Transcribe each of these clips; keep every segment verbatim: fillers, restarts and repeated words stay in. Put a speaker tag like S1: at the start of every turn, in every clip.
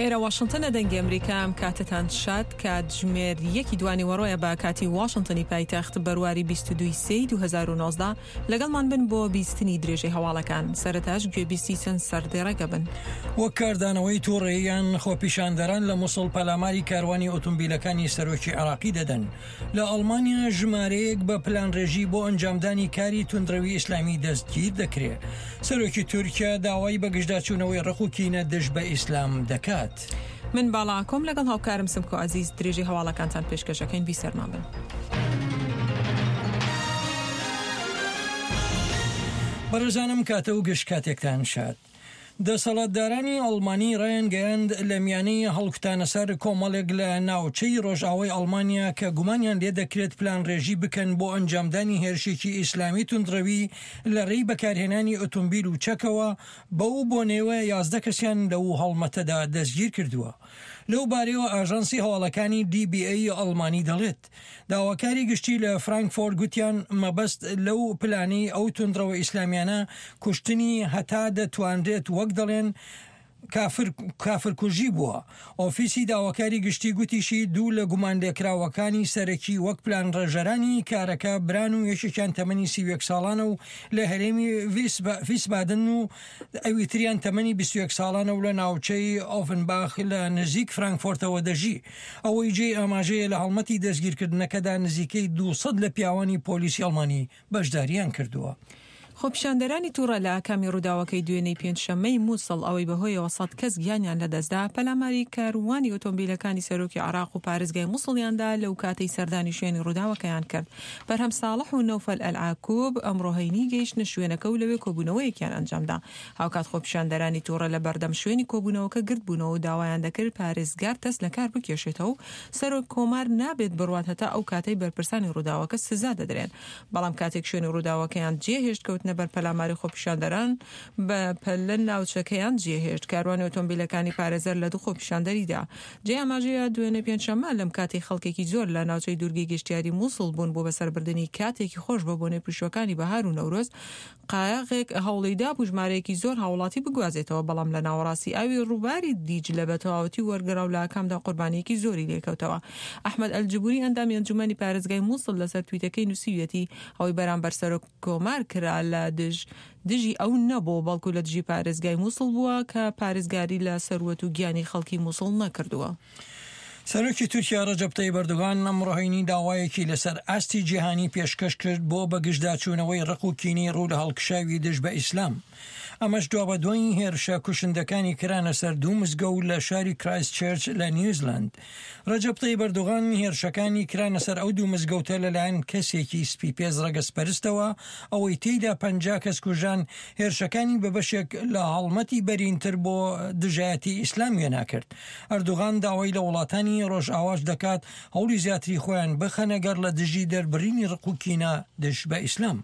S1: ئێرە واشنتنە، دەنگی ئەمریکا. ئەم کاتتان شاد. کاتژمێر یەکی دوانیوەڕۆیە بە کاتی واشنتنی پایتەخت، بەرواری بیست و دوو سێی دوو هەزار و نۆزدە. لەگەڵمان بن بۆ بیستنی درێژەی هەواڵەکان. سەرەتاش گوێبیستی چەند سەردێڕێکە بن.
S2: وەک کاردانەوەی تووڕەییان، خۆپیشاندەران لە موسڵ پەلاماری کاروانی ئۆتۆمبیلەکانی سەرۆکی عێراقی دەدەن. لە ئەڵمانیا ژمارەیەک بە پلانڕێژی بۆ ئەنجامدانی کاری توندڕەوی ئیسلامی دەستگیر دەکرێت. سەرۆکی تورکیا داوای بەگژداچوونەوەی ڕق و کینە دژ بە ئیسلام دەکات.
S1: من باڵاکۆم لەگەڵ هاوکارم سمکۆ عەزیز درێژەی هەواڵەکانتان پێشکەشەکەین. بیسەرمان بن.
S2: بەڕێزانم، کاتە و گشت کاتێکتان شاد. دەسەڵاتدارانی ئەڵمانی ڕایانگەیاند، لە میانەی هەڵکوتانە سەر کۆمەڵێک لە ناوچەی ڕۆژئاوای ئەڵمانیا کە گومانیان لێ دەکرێت پلانڕێژی بکەن بۆ ئەنجامدانی هێرشێکی ئیسلامی توندڕەوی لە ڕێی بەکارهێنانی ئۆتۆمبیل و چەکەوە، بەو بۆنەوە یازدە کەسیان لەو هەڵمەتەدا دەستگیر کردووە. لەو بارەیەوە ئاژانسی هەواڵەکانی D P A ئەڵمانی دەڵێت، داواکاری گشتی لە فرانکفۆرت گوتیان مەبەست لەو پلانی ئەو توندڕەوە ئیسلامیانە کوشتنی هەتا دەتوانرێت، وەک دەڵێن، کافر کافرکوژی بووە. ئۆفیسی داواکاری گشتی گوتیشی دوو لە گومانلێکراوەکانی سەرەکی وەک پلانڕێژەرانی کارەکە بران و یەکێکیان تەمەنی سی یەک ساڵانە و لە هەرێمی ڤیسبادن و ئەوی تریان تەمەنی بیست و یەک ساڵانە و لە ناوچەی ئۆفنباخ لە نزیک فرانکفۆرتەوە دەژی. ئەوەی جێی ئاماژەیە، لە هەڵمەتی دەستگیرکردنەکەدا نزیکەی دوو سەد لە پیاوانی پۆلیسی ئەڵمانی بەشداریان کردووە.
S1: خۆپیشاندەرانی تووڕە لە ئاکامی ڕووداوەکەی دوێنەی پێنجشەممەی مووسڵ، ئەوەی بەهۆیەوە سەد کەس گیانیان لەدەستدا، پەلاماری کاروانی ئۆتۆمبیلەکانی سەرۆکی عێراق و پارێزگای موسڵیاندا لەو کاتەی سەردانی شوێنی ڕووداوەکەیان کرد. بەرهەم ساڵح و نەوفەل ئەلعاکوب ئەمڕۆ هەینی گەیشتنە شوێنەکە و لەوێ کۆبوونەوەیەکیان ئەنجامدا. هاوکات خۆپیشاندەرانی تووڕە لە بەردەم شوێنی کۆبوونەوەکە گردبوونەوە و داوایان دەکرد پارێزگار دەست لە کار بکێشێتەوە و سەرۆک کۆمار نابێت بڕوات هەتا ئەو کاتەی بەرپرسانی ڕووداوەکە سزا دەدرێن. بەڵام کاتێک شوێنی ڕووداوەکەیان جێهێشت، کەوتنە بەر پەلاماری خۆپیشاندەران، بە پەلە ناوچەکەیان جێهێشت. کاروانی ئۆتۆمبیلەکانی پارێزەر لە دوو خۆپیشاندەریدا. جێ ئاماژەیە، دوێنێ پێنجشەممە لەم کاتی خەڵکێکی زۆر لە ناوچەی دوورگەی گەشتیاری مووسڵ بوون بۆ بەسەربردنی کاتێکی خۆش بە بۆنەی پشووەکانی بەهار و نەورۆز، قایەغێک هەوڵیدا بوو ژمارەیەکی زۆر هاوڵاتی بگوازێتەوە، بەڵام لە ناوەڕاستی ئاوی ڕووباری دیجلە بە تەواوەتی وەرگەڕا و لە ئاکامدا قوربانیەکی زۆری لێکەوتەوە. ئەحمەد ئەلجبوری، ئەندامی ئەنجومەنی پارێزگای مووسڵ، لەسەر تویتەکەی نووسیویەتی ئەوەی بەرامبەر سەرۆک کۆمار کرا لە دژ دژی ئەو نەبوو، بەڵکو لە دژی پارێزگای مووسڵ بووە کە پارێزگاری لە سەروەت و گیانی خەڵکی مووسڵ نەکردووە.
S2: سەرۆکی تورکیا ڕەجەب تەیب ئەردۆغان ئەمڕۆ هەینی داوایەکی لەسەر ئاستی جیهانی پێشکەش کرد بۆ بەگژداچوونەوەی ڕق و کینەی ڕوو لە هەڵکشاوی دژ بە ئیسلام. ئەمەش دوابەدوای هێرشە کوشندەکانی کرانە سەر دوو مزگەوت لە شاری کرایست چێرچ لە نیوزلند. ڕەجەب تەیب ئەردۆغان هێرشەکانی کرانە سەر ئەو دوو مزگەوتە لەلایەن کەسێکی سپی پێست ڕەگەزپەرستەوە، ئەوەی تێیدا پەنجا کەس کوژران، هێرشەکانی بە بەشێک لە هەڵمەتی بەرینتر بۆ دژایەتی ئیسلام وێنا کرد. ئەردوغان داوای لە وڵاتانی ڕۆژئاواش دەکات هەوڵی زیاتری خۆیان بخەنە گەڕ لە دژی دەربڕینی ڕق و کینە دژ بە ئیسلام.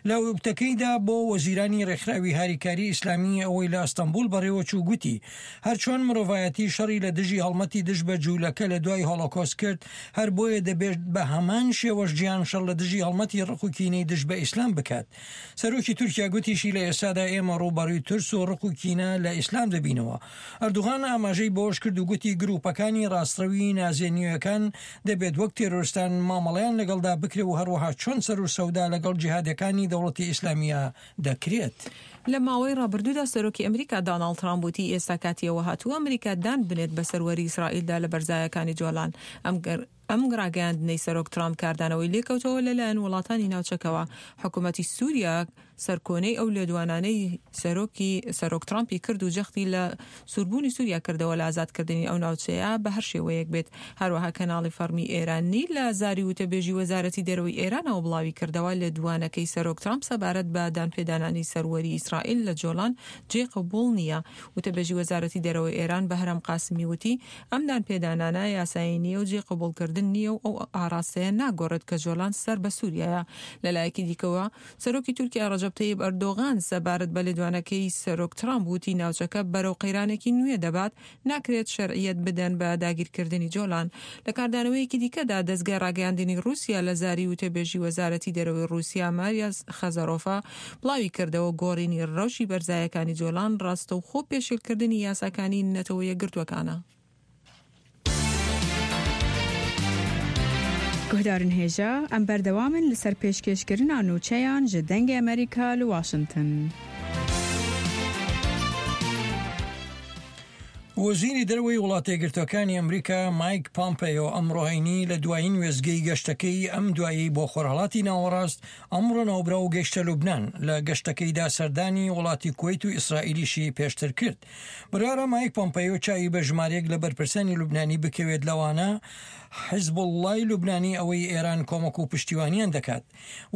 S2: لە وتەکەیدا بۆ وەزیرانی ڕێکخراوی هاریکاری ئیسلامی، ئەوەی لە ئەستەنبول بەڕێوەچوو، گوتی هەرچۆن مرۆڤایەتی شەڕی لە دژی هەڵمەتی دژ بە جوولەکە لە دوای هۆلۆکۆست کرد، هەر بۆیە دەبێت بە هەمان شێوەش جیهان شەڕ لە دژی هەڵمەتی ڕق و کینەی دژ بە ئیسلام بکات. سەرۆکی تورکیا گوتیشی لە ئێستادا ئێمە ڕووبەڕووی ترس و ڕق و کینە لە ئیسلام دەبینەوە. ئەردوغان ئاماژەی بەوەش کرد و گوتی گروپەکانی ڕاستڕەوی نازیە نوێیەکان دەبێت وەک تێرۆرستان مامەڵەیان لەگەڵدا بکرێ و هەروەها چۆن سەر و سەودا لەگەڵ جیهادەکانی دەوڵەتی ئیسلامیە دەکرێت.
S1: لە ماوەی ڕابردوودا سەرۆکی ئەمریکا داناڵد ترامپ وتی ئێستا کاتی ئەوە هاتووە ئەمریکا دان بنێت بە سەروەری ئیسرائیلدا لە بەرزایەکانی جۆلان. ئەم ئەم ڕاگەیاندنەی سەرۆک ترامپ کاردانەوەی لێکەوتەوە لەلایەن وڵاتانی ناوچەکەوە. حکوومەتی سووریا سەرکۆنەی ئەو لێدوانانەی سەرۆکی سەرۆک ترامپی کرد و جەختی لە سووربوونی سووریا کردەوە لە ئازادکردنی ئەو ناوچەیە بە هەر شێوەیەک بێت. هەروەها کەناڵی فەرمی ئێرانی لە زاری وتەبێژی وەزارەتی دەرەوەی ئێرانەوە بڵاوی کردەوە لێدوانەکەی سەرۆک ترامپ سەبارەت بە دانپێدانانی سەروەری ئیسرائیل لە جۆلان جێ قبوڵ نییە. وتەبێژی وەزارەتی دەرەوەی ئێران بەهرام قاسمی وتی ئەم دانپێدانانە یاسایی نییە و جێ قبوڵکردن داگیرکردن نییە و ئەو ئاراستەیە ناگۆڕێت کە جۆلان سەر بە سووریایە. لەلایەکی دیکەوە سەرۆکی تورکیا ڕەجەب تەیب ئەردۆغان سەبارەت بە لێدوانەکەی سەرۆک ترامپ وتی ناوچەکە بەرەو قەیرانێکی نوێ دەبات، ناکرێت شەرعیەت بدەن بە داگیرکردنی جۆلان. لە کاردانەوەیەکی دیکەدا دەزگای ڕاگەیاندنی ڕووسیا لە زاری وتەبێژی وەزارەتی دەرەوەی ڕووسیا ماریا خەزەرۆفا بڵاوی کردەوە گۆڕینی ڕەوشی بەرزایەکانی جۆلان ڕاستەوخۆ پێشێلکردنی یاساکانی نەتەوە یەکگرتووەکانە.
S3: گوهدارن هێژا ئەم بەردەوامن لەسەر پێشکێشکردنا نوچەیان ji دەنگê Amerîka li Washington.
S2: وەزیری دەرەوەی وڵاتە یەکگرتووەکانی ئەمریکا مایک پامپەیۆ ئەمڕۆ هەینی لە دوایین وێستگەی گەشتەکەی ئەم دوایی بۆ خۆرهەڵاتی ناوەڕاست ئەمڕۆ ناوبراو گەیشتە لوبناان. لە گەشتەکەیدا سەردانی وڵاتی کوەیت و ئیسرائیلیشی پێشتر کرد. بڕیارە مایک پامپەیۆ چاوی بە ژمارەیەک لە بەرپرسانی لوبنانی بکەوێت، لەوانە حیزبوڵڵای لوبنانی ئەوەی ئێران کۆمەک و پشتیوانیان دەکات.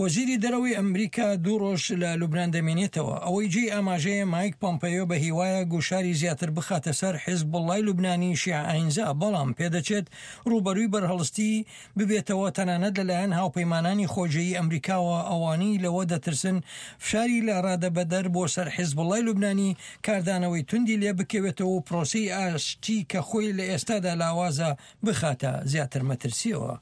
S2: وەزیری دەرەوەی ئەمریکا دوو ڕۆژ لە لوبنان دەمێنێتەوە. ئەوەی جێی ئاماژەیە مایک پامپەیۆ بە هیوایە گوشاری زیاتر بخاتە سەر حیزبوڵڵای لوبنانی شیعە ئاینزا، بەڵام پێدەچێت ڕووبەرووی بەرهەڵستی ببێتەوە تەنانەت لەلایەن هاوپەیمانانی خۆجێی ئەمریکاوە. ئەوانەی لەوە دەترسن فشاری لە ڕادەبەدەر بۆ سەر حیزبوڵڵای لوبنانی کاردانەوەی توندی لێ بکەوێتەوە و پرۆسەی ئاشتی کە خۆی لە ئێستادا لاوازە بخاتە زیاتر مەترسیەوە.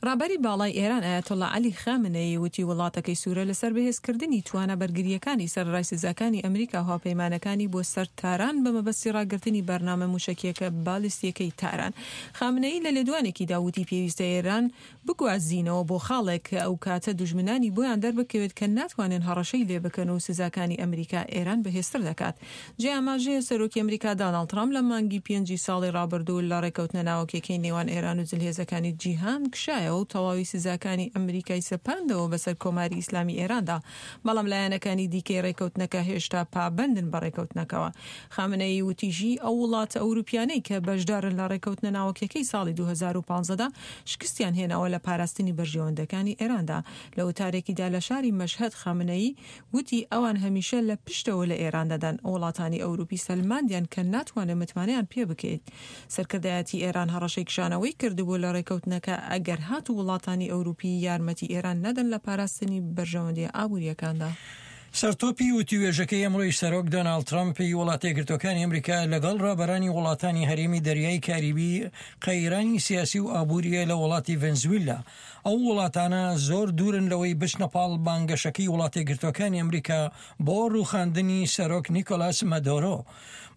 S1: ڕابەری باڵای ئێران ئایەتوڵڵا عەلی خامنەیی وتی وڵاتەکەی سوورە لەسەر بەهێزکردنی توانا بەرگرییەکانی سەرەڕای سزاکانی ئەمریکا و هاوپەیمانەکانی بۆ سەر تاران بە مەبەستی ڕاگرتنی بەرنامە موشەکیەکە بالیستیەکەی تاران. خامنەیی لە لێدوانێکیدا وتی پێویستە ئێران بگوازینەوە بۆ خاڵێک کە ئەو کاتە دوژمنانی بۆیان دەربکەوێت کە ناتوانن هەڕەشەی لێ بکەن و سزاکانی ئەمریکا ئێران بەهێزتر دەکات. جێ ئاماژەیە سەرۆکی ئەمریکا داناڵد ترامپ لە مانگی پێنجی ساڵی ڕابردوو لە ڕێکەوتنە ناوەکیەکەی نێوان ئێران و زلهێزەکانی جیهان کشایەوە و تەواوی سزاکانی ئەمریکای سەپاندەوە بەسەر کۆماری ئیسلامی ئێراندا، بەڵام لایەنەکانی دیکەی ڕێکەوتنەکە هێشتا پابەندن بە ڕێکەوتنەکەوە. خامنەیی وتیشی ئەو وڵاتە ئەوروپیانەی کە بەشدارن لە ڕێکەوتنە ناوەکیەکەی ساڵی دوو هەزار و پازدە دا شکستیان هێناوە لە پاراستنی بەرژەوەندەکانی ئێراندا. لە وتارێکیدا لە شاری مەشهەد خامنەیی وتی ئەوان هەمیشە لە پشتەوە لە ئێران دەدەن. وڵاتانی ئەوروپی سەلماندیان کە ناتوانن متمانەیان پێ بکەیت. سەرکردایەتی ئێران هەڕەشەی کشانەوەی کردبوو لە ڕێکەوتنەکە ئەگەر هات و وڵاتانی ئەوروپی یارمەتی ئێران نەدەن لە پاراستنی بەرژەوەندیە ئابووریەکاندا.
S2: سەرتۆپی وتوێژەکەی ئەمڕۆی سەرۆک دۆناڵد ترەمپی وڵاتە یەکگرتووەکانی ئەمریکا لەگەڵ ڕابەرانی وڵاتانی هەرێمی دەریای کاریبی قەیرانی سیاسی و ئابووریە لە وڵاتی ڤەنزویلا. ئەو وڵاتانە زۆر دوورن لەوەی بچنە پاڵ بانگەشەکەی وڵاتە یەکگرتووەکانی ئەمریکا بۆ ڕووخاندنی سەرۆک نیکۆلاس مادورۆ.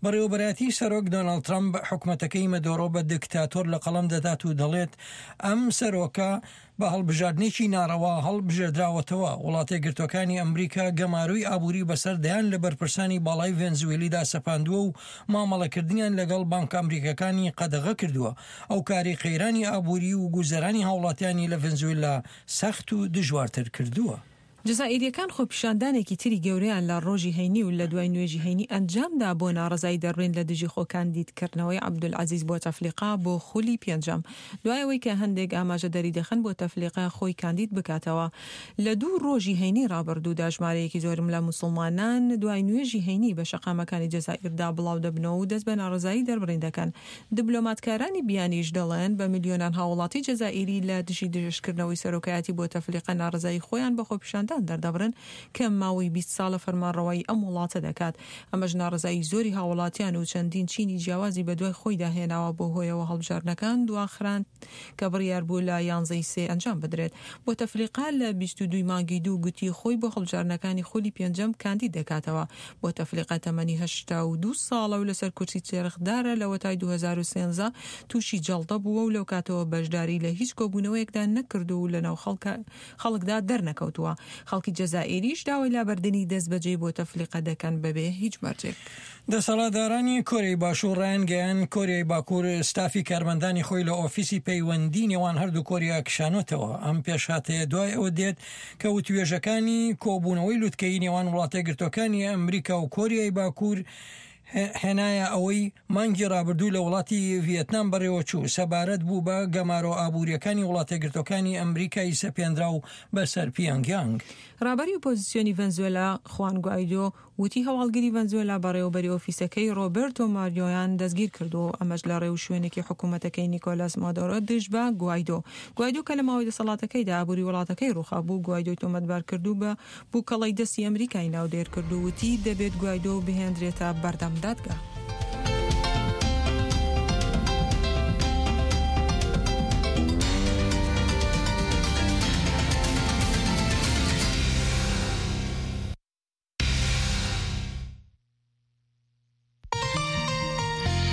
S2: بەڕێوەبەرایەتی سەرۆک دۆناڵد ترەمپ حکومەتەکەی مادورۆ بە دیکتاتۆر لە قەڵەم دەدات و دەڵێت ئەم سەرۆکە بە هەڵبژاردنێکی ناڕەوا هەڵبژێردراوەتەوە. وڵاتە یەکگرتووەکانی ئەمریکا گەمارۆی ئابووری بەسەر دەیان لە بەرپرسانی باڵای ڤەنزوێلیدا سەپاندووە و مامەڵەکردنیان لەگەڵ بانکە ئەمریکاکانی قەدەغە کردووە. ئەو کاری قەیرانی ئابووری و گوزەرانی هاوڵاتیانی لە ڤەنزوێلا سەخت و دژوارتر کردووە.
S1: جەزائیریەکان خۆپیشاندانێکی تری گەورەیان لە ڕۆژی هەینی و لە دوای نوێژی هەینی ئەنجامدا بۆ ناڕەزایی دەربڕین لە دژی خۆکاندیدکردنەوەی عەبدولعەزیز بۆتەفلیقا بۆ خولی پێنجەم، دوای ئەوەی کە هەندێک ئاماژە دەری دەخەن بۆتەفلیقا خۆی کاندید بکاتەوە. لە دوو ڕۆژی هەینی ڕابردوودا ژمارەیەکی زۆرم لە موسڵمانان دوای نوێژی هەینی بە شەقامەکانی جەزائیردا بڵاو دەبنەوە و دەست بە ناڕەزایی دەربڕین دەکەن. دیبلۆماتکارانی بیانیش دەڵێن بە ملیۆنان هاوڵاتی جەزائیری لە دژی دژشکردنەوەی سەرۆکایەتی بۆتەفلیقا ناڕەزایی خۆیان بە خۆپیشاندان دەردەبڕن کە ماوەی بیست ساڵە فەرمانڕەوایی ئەم وڵاتە دەکات. ئەمەش ناڕەزایی زۆری هاوڵاتیان و چەندین چینی جیاوازی بەدوای خۆیدا هێناوە، بۆ هۆیەوە هەڵبژاردنەکان دواخران کە بڕیار بوو لە یانزەی سێ ئەنجام بدرێت. بۆتەفلیقا لە بیست و دووی مانگی دوو گوتی خۆی بۆ هەڵبژاردنەکانی خولی پێنجەم کاندید دەکاتەوە. بۆتەفلیقا تەمەنی هەشتا و دوو ساڵە و لەسەر کورسی چێرخدارە لەوەتای دوو هەزار و سێزدە تووشی جەڵدە بووە و لەو کاتەوە بەشداری لە هیچ کۆبوونەوەیەکدا نەکردو و لەناو خەڵکدا دەرنەکەوتووە. خەڵکی جەزائیریش داوای لابردنی دەستبەجێ بۆتەفلیقە دەکەن بەبێ هیچ مەرجێک.
S2: دەسەڵاتدارانی کۆریای باشوور ڕایانگەیاند کۆریای باکوور ستافی کارمەندانی خۆی لە ئۆفیسی پەیوەندی نێوان هەردوو کۆریا کشانۆتەوە. ئەم پێشهاتەیە دوای ئەوە دێت کە وتوێژەکانی کۆبوونەوەی لوتکەی نێوان وڵاتە یەکگرتووەکانی ئەمریکا و کۆریای باکوور هێنایە ئەوەی مانگی ڕابردوو لە وڵاتی ڤیێتنام بەڕێوەچوو، سەبارەت بوو بە گەمارۆ ئابوورییەکانی وڵاتەیەکگرتووەکانی ئەمریکای سەپێنراو بەسەر پیانگیانگ.
S1: ڕابەری ئۆپۆزسیۆنی ڤەنزوێلا خوان گوایدۆ وتی هەواڵگری ڤەنزوێلا بەڕێوەبەری ئۆفیسەکەی ڕۆبێرتۆ ماریۆیان دەستگیرکردووە و ئەمەش لە ڕێوشوێنێکی حکومەتەکەی نیکۆلاس مادۆرۆ دژ بە گوایدۆ. گوایدۆ کە لە ماوەی دەسەڵاتەکەیدا ئابووری وڵاتەکەی ڕووخابوو، گوایدۆی تۆمەتبار کرد و بە بووکەڵەی دەستی ئەمریکای ناودێر کرد و وتی دەبێت گوایدۆ بهێندرێتە بەردەم دادگا.